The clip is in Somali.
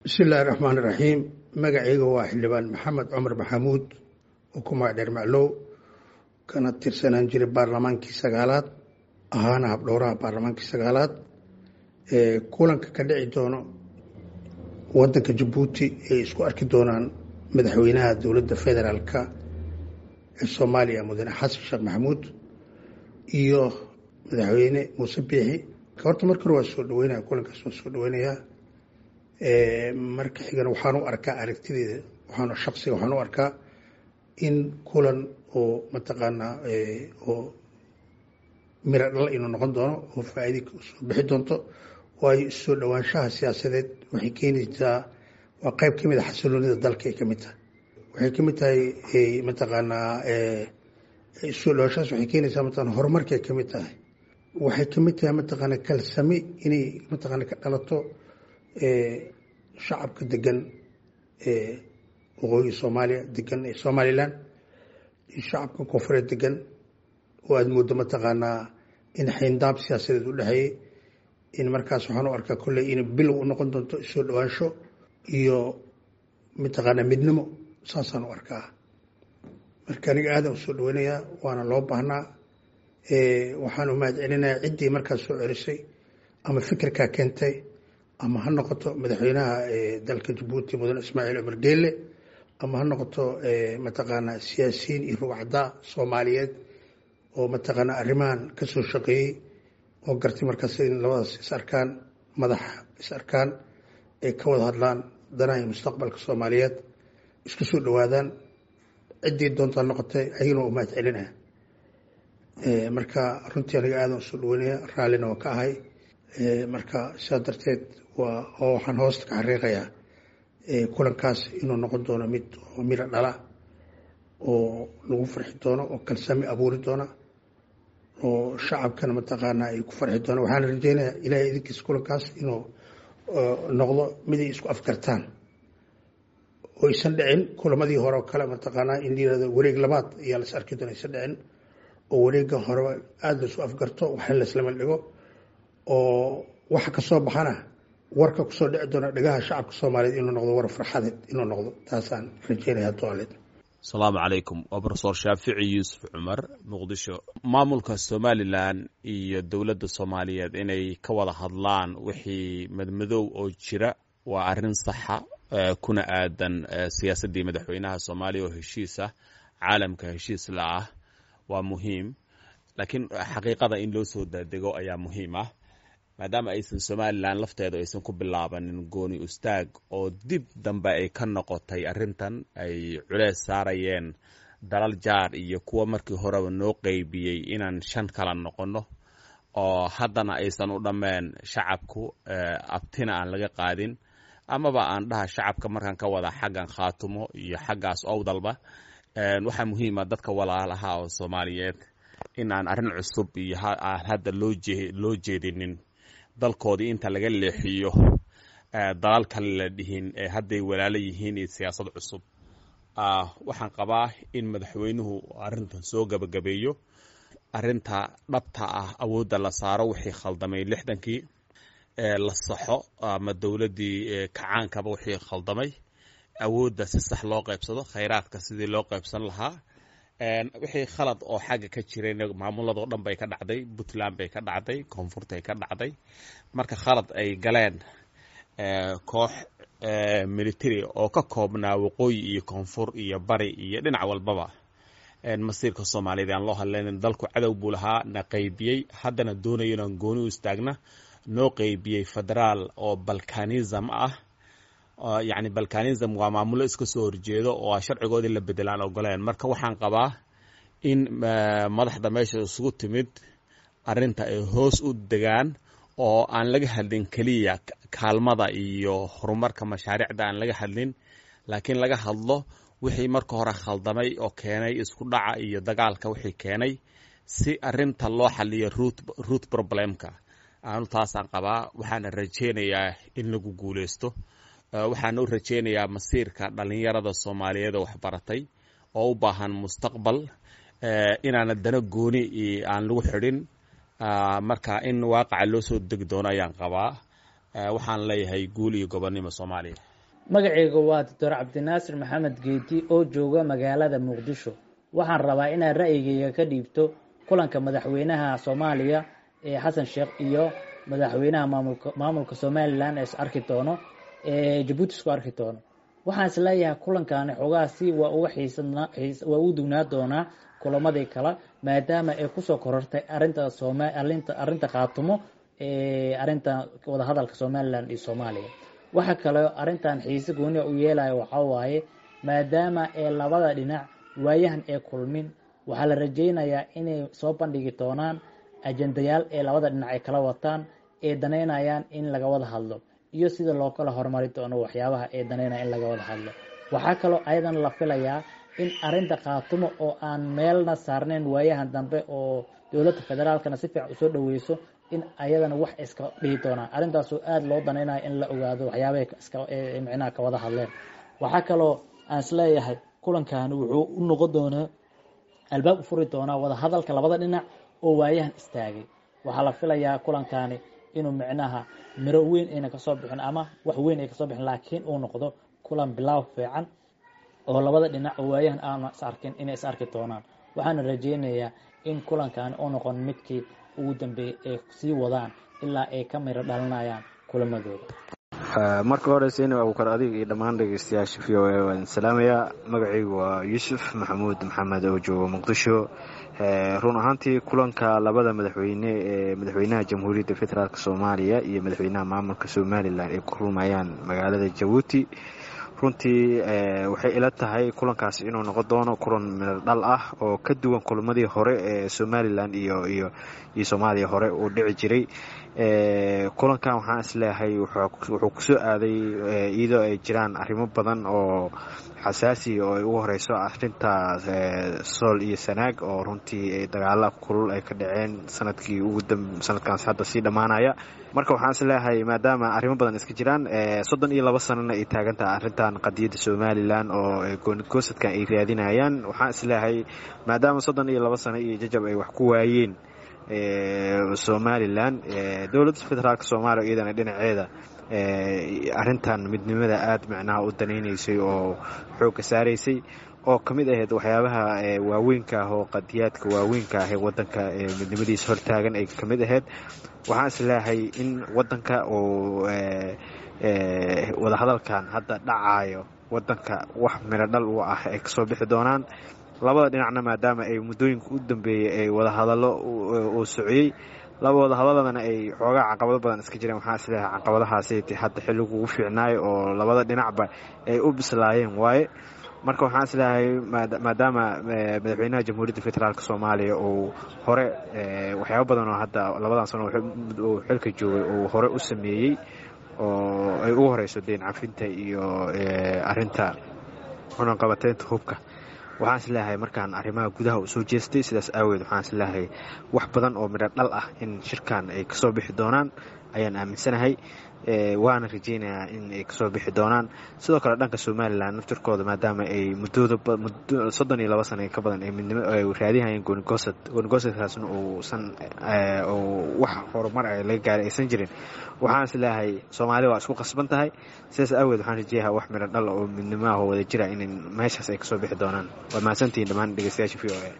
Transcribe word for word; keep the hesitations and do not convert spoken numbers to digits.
Bismi illaahi raxmaan iraxiim. Magacayga waa Xildhibaan Maxamed Cumar Maxamuud oo ku magac dheer Maclow, kana tirsanaan jiray baarlamaankii sagaalaad, ahaana habdhowraha baarlamaankii sagaalaad. Kulanka ka dhici doono wadanka Jabuuti ay isku arki doonaan madaxweynaha dowladda federaalka ee Soomaaliya, Mudane Xasan Sheekh Maxamuud, iyo Madaxweyne Muuse Biixi, horta marka hore waa soo dhaweynaya kulankaas, waa soo dhaweynayaa. Marka xigana waxaan u arkaa, aragtideeda waxaan shaksiga waxaan u arkaa in kulan oo mataqaanaa oo miro dhal inuu noqon doono oo faa'iida soo bixi doonto, waayo soo dhowaanshaha siyaasadeed waxay keenaysaa, waa qayb ka mid a xasiloonida dalka ay ka mid tahay. Waxay ka mid tahay mataqaanaa soo dhawaanshahaas, waxay keenaysaa mataqana horumarkay ka mid tahay. Waxay ka mid tahay mataqaana kalsami inay mataqaana ka dhalato shacabka degan ee waqooyiga Soomaaliya degan ee Somaliland iyo shacabka koonfureed degan, oo aada mooddo mataqaanaa in xayndaab siyaasadeed u dhexeeyey. In markaas waxaan u arkaa kolley inay bilow u noqon doonto soo dhawaansho iyo mataqaanaa midnimo, saasaan u arkaa. Marka aniga aadaan usoo dhaweynayaa, waana loo baahnaa. Waxaan u mahad celinayaa ciddii markaas soo celisay ama fikirkaa keentay, ama ha noqoto madaxweynaha dalka Jabuuti, Mudane Ismaaciil Cumar Geelle, ama ha noqoto mataqaanaa siyaasiyiin iyo rugcaddaa Soomaaliyeed oo mataqaanaa arrimahan ka soo shaqeeyey oo gartay markaas in labadaas is arkaan, madaxa is arkaan, ay ka wada hadlaan danaha iyo mustaqbalka Soomaaliyeed, isku soo dhowaadaan. Ciddii doontaa noqotay, ayagana waa u mahad celinaya. Marka runtii aniga aadan usoo dhaweynaya, raallina waa ka ahay. Marka sidaa darteed waa oo waxaan hoosta ka xariiqayaa kulankaas inuu noqon doono mid oo miro dhala oo lagu farxi doono oo kalsami abuuri doona oo shacabkana mataqaanaa ay ku farxi doona. Waxaana rajeynayaa Ilahay idinkiisa kulankaas inuu noqdo mid ay isku afgartaan oo aysan dhicin kulamadii hore oo kale, mataqaanaa in la yirahdo wareeg labaad ayaa la is arki doona, aysan dhicin, oo wareegga horeba aada la isku afgarto, waxna la isla dhigo, oo waxa kasoo baxana warka kusoo dhici doona dhegaha shacabka Soomaaliyeed inuu noqdo war farxadeed inuu noqdo, taasaan rajeynaya doaleed. Asalaamu calaykum, waa Profesor Shaafici Yuusuf Cumar, Muqdisho. Maamulka Somaliland iyo dowladda Soomaaliyeed inay ka wada hadlaan wixii madmadow oo jira waa arrin saxa, kuna aadan siyaasaddii madaxweynaha Soomaaliya oo heshiis ah, caalamka heshiis la ah, waa muhiim. Laakiin xaqiiqada in loo soo daadego ayaa muhiim ah, maadaama aysan Somaliland lafteedu aysan ku bilaabanin gooni ustaag oo dib dambe ay ka noqotay arrintan ay culees saarayeen dalal jaar iyo kuwa markii horeba noo qeybiyey inaan shan kala noqonno, oo haddana aysan u dhammeen shacabku, abtina aan laga qaadin, amaba aan dhaha shacabka markaan ka wada xaggan Khaatumo iyo xaggaas Owdalba. Waxaa muhiima dadka walaalaha oo Soomaaliyeed in aan arrin cusub iyo aan hadda loo jee loo jeedinin, dalkoodii inta laga leexiyo dalal kale la dhihin ee hadday walaalo yihiin iyo siyaasad cusub. Waxaan qabaa in madaxweynuhu arrintan soo gabagabeeyo, arrinta dhabta ah awoodda la saaro, wixii khaldamay lixdankii la saxo ama dowladdii kacaankaba wixii khaldamay, awoodda si sax loo qaybsado, khayraadka sidii loo qaybsan lahaa. Wixii khalad oo xagga ka jirayna maamuladoo dhan bay ka dhacday, Puntland bay ka dhacday, koonfurtay ka dhacday. Marka khalad ay galeen koox military oo ka koobnaa waqooyi iyo koonfur iyo bari iyo dhinac walbaba, masiirka Soomaaliyeed aan loo hadlaynin. Dalku cadow buu lahaa na qaybiyey, haddana doonayo inaan gooni u istaagna, noo qaybiyey federaal oo balkanism ah. Yacni balkanism waa maamulo iska soo horjeedo oo sharcigoodii la bedelaan ogoleen. Marka waxaan qabaa in madaxda meesha isugu timid arrinta ay hoos u degaan oo aan laga hadlin keliya kaalmada iyo horumarka mashaariicda aan laga hadlin, laakiin laga hadlo wixii marka hore khaldamay oo keenay isku dhaca iyo dagaalka wixii keenay, si arrinta loo xaliyo root root problemka. Aanu taasaan qabaa, waxaana rajeynayaa in lagu guuleysto. Waxaana u rajeynayaa masiirka dhalinyarada Soomaaliyeed oo waxbaratay oo u baahan mustaqbal inaana dano gooni aan lagu xidhin. Marka in waaqaca loo soo degi doono ayaan qabaa. Waxaan leeyahay guul iyo gobonnimo Soomaaliya. Magacayga waa Doctor Cabdinaasir Maxamed Geedi oo jooga magaalada Muqdisho. Waxaan rabaa inaad ra'yigayga ka dhiibto kulanka madaxweynaha Soomaaliya ee Xasan Sheekh iyo madaxweynaha maamulka maamulka Somaliland ee is arki doono ee Jabuuti isku arki doono. Waxaan isleeyahay kulankaani xoogaha si waa uga xiisadnaa waa ugu dugnaa doonaa kulamadii kale, maadaama ay kusoo korortay arrinta Sooma arrinta arrinta Khaatumo ee arrinta wadahadalka Somaliland iyo Soomaaliya. Waxa kale arrintan xiise gooni u yeelaya waxaa waaye, maadaama ee labada dhinac waayahan ee kulmin, waxaa la rajeynayaa inay soo bandhigi doonaan ajendayaal ee labada dhinac ay kala wataan ee daneynayaan in laga wada hadlo iyo sida loo kala horumari doono waxyaabaha ee daneynaya in laga wada hadlo. Waxaa kaloo ayadan la filayaa in arrinta Khaatumo oo aan meelna saarnayn waayahan dambe oo dowladda federaalkana si fiican usoo dhaweyso in ayadana wax iska dhihi doonaan arrintaasoo aada loo daneynayo in la ogaado waxyaabahay iska micnaha ka wada hadleen. Waxaa kaloo aan isleeyahay kulankan wuxuu u noqon doonaa albaab u furi doonaa wada hadalka labada dhinac oo waayahan istaagay. Waxaa la filayaa kulankaani inuu micnaha miro weyn ayna kasoo bixin ama wax weyn ay kasoo bixin, laakiin uu noqdo kulan bilaaw fiican oo labada dhinac oo waayahan aana is arkin inay is arki doonaan. Waxaana rajeynayaa in kulankaani uu noqon midkii ugu dambeeyey ay sii wadaan ilaa ay ka miro dhalinayaan kulamadooda. Marka hore, Seyni Abuukar, adiga iyo dhammaan dhegeystayaasha V O A waan salaamayaa. Magacaygu waa Yuusuf Maxamuud Maxamed oo jooga Muqdisho. Run ahaantii, kulanka labada madaxweyne ee madaxweynaha Jamhuuriyadda Federaalk Soomaaliya iyo madaxweynaha maamulka Somaliland ay ku kulmayaan magaalada Jabuuti, runtii waxay ila tahay kulankaasi inuu noqon doono kulan miro dhal ah oo ka duwan kulamadii hore ee Somaliland iyo iyo iyo Soomaaliya hore uu dhici jiray. Kulankan waxaan isleeyahay wuxuu kusoo aaday iyadoo ay jiraan arrimo badan oo xasaasi oo ay ugu horeyso arrinta Sool iyo Sanaag, oo runtii dagaala kulul ay ka dhaceen sanadkii ugu sanadkaas hadda sii dhammaanaya. Marka waxaan isleeyahay, maadaama arrimo badan iska jiraan, soddon iyo laba sanana ay taagantaha arrintan qadiyadda Somaliland oo goonigosadkan ay raadinayaan, waxaan isleeyahay maadaama soddon iyo laba sano iyo jajab ay wax ku waayeen Somaliland, dowladda federaalk Soomaaliya iyadana dhinaceeda arrintan midnimada aada macnaha u danaynaysay oo xoogga saaraysay, oo ka mid ahayd waxyaabaha waaweynka ah oo qadiyaadka waaweynka ah ee wadanka midnimadiisa hortaagan ay ka mid ahayd, waxaan isleeyahay in wadanka uu wadahadalkan hadda dhacayo wadanka wax miro dhal u ah ay kasoo bixi doonaan labada dhinacna, maadaama ay muddooyinka u dambeeyey ay wadahadallo uu sociyey, laba wadahadaladana ay xoogaa caqabado badan iska jireen. Waxaan isleeyahay caqabadahaasi hadda xilligu ugu fiicnaayo oo labada dhinacba ay u bislaayeen waaye. Marka waxaan isleeyahay, maadaama madaxweynaha Jamhuuriyadda Federaalk Soomaaliya uu hore waxyaabo badan oo hadda labadan sano uu xilka joogay uu hore u sameeyey, oo ay ugu horeyso deyn cafinta iyo arinta cunaqabateynta hubka, waxaan isleeyahay markaan arrimaha gudaha uu soo jeestay, sidaas aaweed waxaan isleeyahay wax badan oo midho dhal ah in shirkan ay kasoo bixi doonaan ayaan aaminsanahay, waana rajeynayaa in ay kasoo bixi doonaan. Sidoo kale dhanka Somaliland naftirkooda, maadaama ay muddooda soddon iyo laba sana ka badan ay midnimo ay raadinayeen goonigoosad, goonigosadkaasna uusan wax horumar ay laga gaaray aysan jirin, waxaan isleeyahay Soomaalida waa isku qasban tahay. Sidaas aaweed waxaan rajeeyaha wax midho dhal oo midnimo ah oo wada jira in meeshaas ay kasoo bixi doonaan. Waa mahadsantihiin dhammaan dhegeystayaasha V O A.